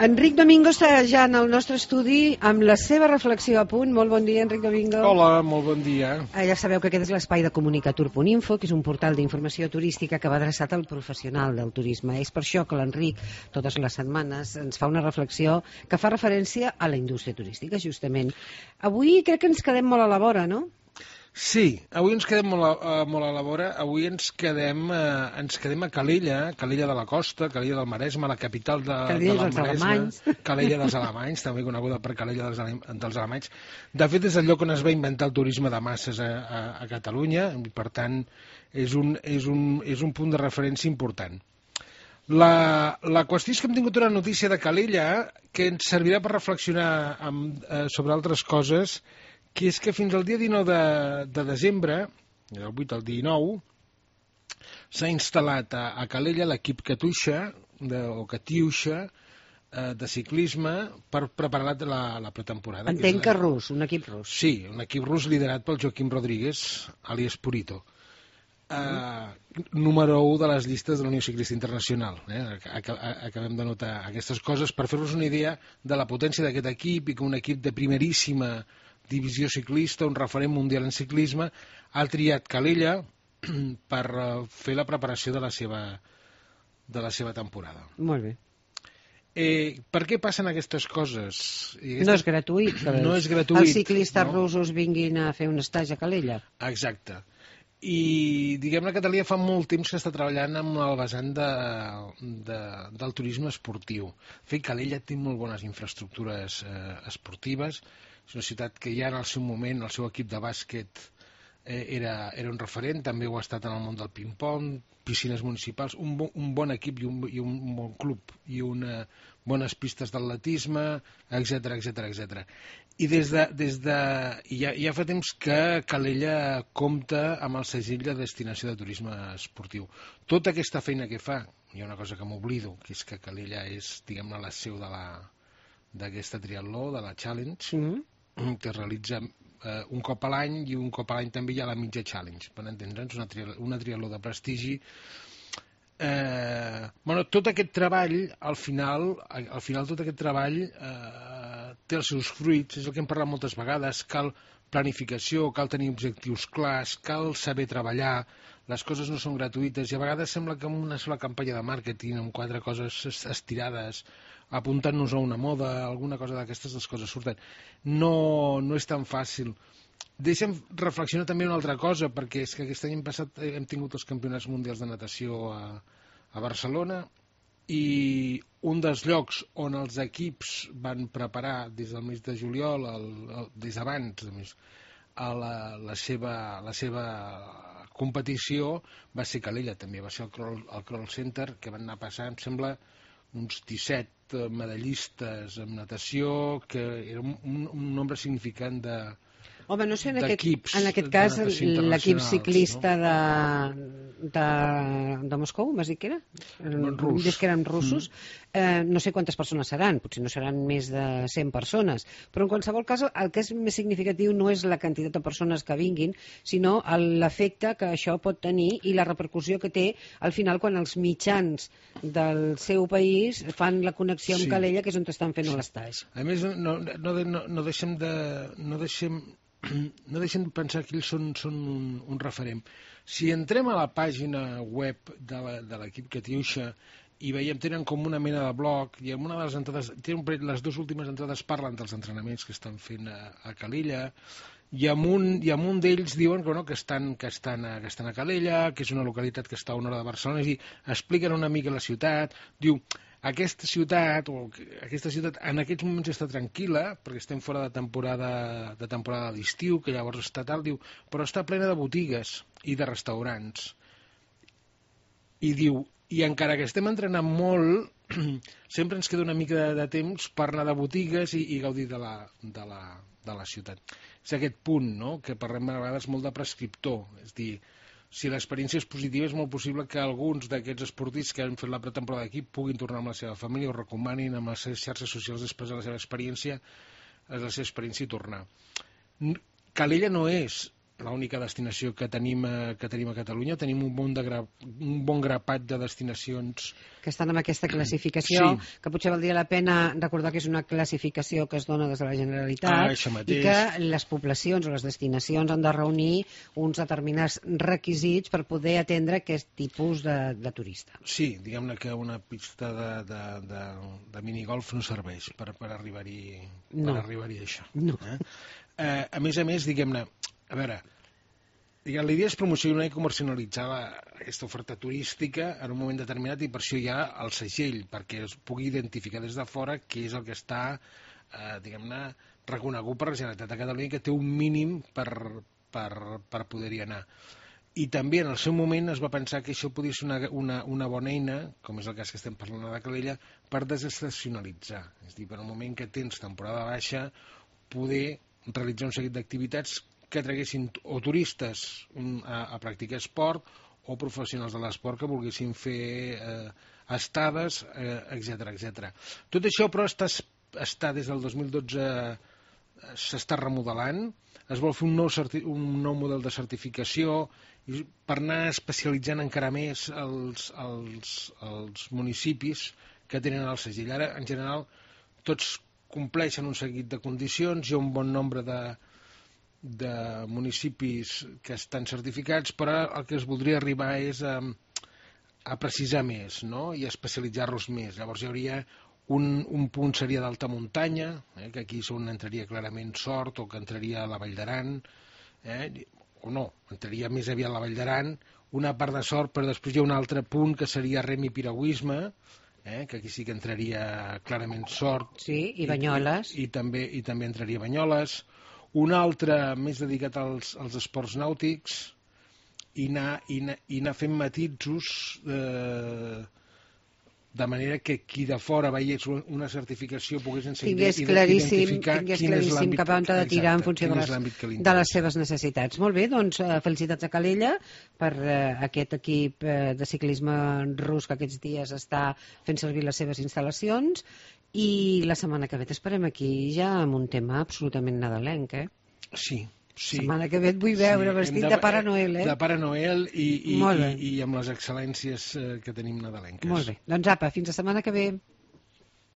Enric Domingo està ja en el nostre estudi amb la seva reflexió a punt. Molt bon dia, Enric Domingo. Hola, molt bon dia. Ja sabeu que aquest és l'espai de Comunicatur.info, que és un portal d'informació turística que va adreçat al professional del turisme. És per això que l'Enric, totes les setmanes, ens fa una reflexió que fa referència a la indústria turística, justament. Avui crec que ens quedem molt a la vora, no? Sí, avui ens quedem molt a la vora. Avui ens quedem a Calella de la Costa, Calella del Maresme, la capital del Maresme. Calella dels Alemanys, també coneguda per Calella dels Alemanys. De fet, és el lloc on es va inventar el turisme de masses a Catalunya, i per tant és un punt de referència important. La qüestió és que hem tingut una notícia de Calella que ens servirà per reflexionar sobre altres coses, que és que fins al dia 19 de desembre, del 8 al 19, s'ha instal·lat a Calella l'equip Catiuxa de ciclisme per preparar la pretemporada. Entenc que rus, un equip rus. Sí, un equip rus liderat pel Joaquim Rodríguez, àlies Purito. Número 1 de les llistes de la Unió Ciclista Internacional. Acabem de notar aquestes coses per fer-vos una idea de la potència d'aquest equip i que un equip de primeríssima divisió ciclista, un referent mundial en ciclisme, ha triat Calella per fer la preparació de la seva temporada. Molt bé. Per què passen aquestes coses? No és gratuït. No és gratuït. Els ciclistes russos vinguin a fer un estatge a Calella. Exacte. I diguem-ne que Calella fa molt temps que està treballant amb el vessant del turisme esportiu. De fet, Calella té molt bones infraestructures esportives. És una ciutat que ja en el seu moment, el seu equip de bàsquet era un referent, també ho ha estat en el món del ping-pong, piscines municipals, un bon equip i un bon club, i bones pistes d'atletisme, etc. I ja fa temps que Calella compta amb el segell de destinació de turisme esportiu. Tota aquesta feina que fa, hi ha una cosa que m'oblido, que és que Calella és, diguem-ne, la seu d'aquesta triatló, de la Challenge, que es realitza un cop a l'any, i un cop a l'any també hi ha la mitja Challenge, per entendre'ns, una triatló de prestigi. Tot aquest treball, al final tot aquest treball té els seus fruits, és el que hem parlat moltes vegades. Cal planificació, cal tenir objectius clars, cal saber treballar, les coses no són gratuïtes, i a vegades sembla que amb una sola campanya de màrqueting, amb 4 coses estirades, apuntant-nos a una moda, alguna cosa d'aquestes, les coses surten. No és tan fàcil. Deixa'm reflexionar també una altra cosa, perquè és que aquest any passat hem tingut els campionats mundials de natació a Barcelona, i un dels llocs on els equips van preparar des del mes de juliol, des d'abans, la seva competició va ser Calella, també va ser el Kroll Center, que van anar a passar, em sembla, uns 17 medallistes en natació, que era un nombre significant d'equips. Home, no sé, en aquest cas l'equip ciclista de Moscou, m'has dit que era? Dius que eren russos. No sé quantes persones seran, potser no seran més de 100 persones, però en qualsevol cas el que és més significatiu no és la quantitat de persones que vinguin, sinó l'efecte que això pot tenir i la repercussió que té al final quan els mitjans del seu país fan la connexió amb Calella, que és on estan fent l'estatge. A més, no deixem de pensar que ells són un referent. Si entrem a la pàgina web de l'equip Catiuxa i veiem, tenen com una mena de blog, i en una de les entrades, les dues últimes entrades parlen dels entrenaments que estan fent a Calella, i en un d'ells diuen que estan a Calella, que és una localitat que està a una hora de Barcelona, és a dir, expliquen una mica la ciutat, diu, aquesta ciutat en aquests moments està tranquil·la, perquè estem fora de temporada d'estiu, que llavors està tal, diu, però està plena de botigues i de restaurants. I diu, i encara que estem entrenant molt, sempre ens queda una mica de temps per anar de botigues i gaudir de la ciutat. És aquest punt, no?, que parlem a vegades molt de prescriptor, és dir, si l'experiència és positiva, és molt possible que alguns d'aquests esportistes que han fet la pretemporada d'aquí puguin tornar amb la seva família o recomanin amb les seves xarxes socials després de la seva experiència i tornar. Calella no és l'única destinació que tenim a Catalunya. Tenim un bon grapat de destinacions que estan amb aquesta classificació, sí. Que potser valdria la pena recordar que és una classificació que es dona des de la Generalitat i que les poblacions o les destinacions han de reunir uns determinats requisits per poder atendre aquest tipus de turista. Sí, diguem-ne que una pista de minigolf no serveix per arribar-hi a això. No. A més, diguem-ne, a veure, la idea és promocionar i comercialitzar aquesta oferta turística en un moment determinat i per això hi ha el segell, perquè es pugui identificar des de fora què és el que està, diguem-ne, reconegut per la Generalitat de Catalunya, que té un mínim per poder-hi anar. I també en el seu moment es va pensar que això podia ser una bona eina, com és el cas que estem parlant a la Calella, per desestacionalitzar. És a dir, per un moment que tens temporada baixa, poder realitzar un seguit d'activitats que traguessin o turistes a practicar esport o professionals de l'esport que volguessin fer estades, etc. Tot això, però, està des del 2012 s'està remodelant, es vol fer un nou model de certificació per anar especialitzant encara més els municipis que tenen el segell. Ara, en general, tots compleixen un seguit de condicions, hi ha un bon nombre de municipis que estan certificats, però el que es voldria arribar és a precisar més, no? I a especialitzar-los més. Llavors hi hauria un punt seria d'alta muntanya, que aquí és on entraria clarament Sort o que entraria a la Vall d'Aran, o no, entraria més aviat a la Vall d'Aran, una part de Sort, però després hi ha un altre punt que seria rem i piragüisme, que aquí sí que entraria clarament Sort. Sí, i Banyoles. I també entraria Banyoles. Un altre més dedicat als esports nàutics i anar fent matisos de manera que qui de fora veiés una certificació pogués tingués claríssim cap on ha de tirar en funció de les seves necessitats. Molt bé, doncs felicitats a Calella per aquest equip de ciclisme rus que aquests dies està fent servir les seves instal·lacions i la setmana que ve t'esperem aquí ja amb un tema absolutament nadalenc, Sí. Setmana que ve et vull veure vestit de Pare Noel, De Pare Noel i amb les excel·lències que tenim nadalenques. Molt bé. Doncs apa, fins la setmana que ve.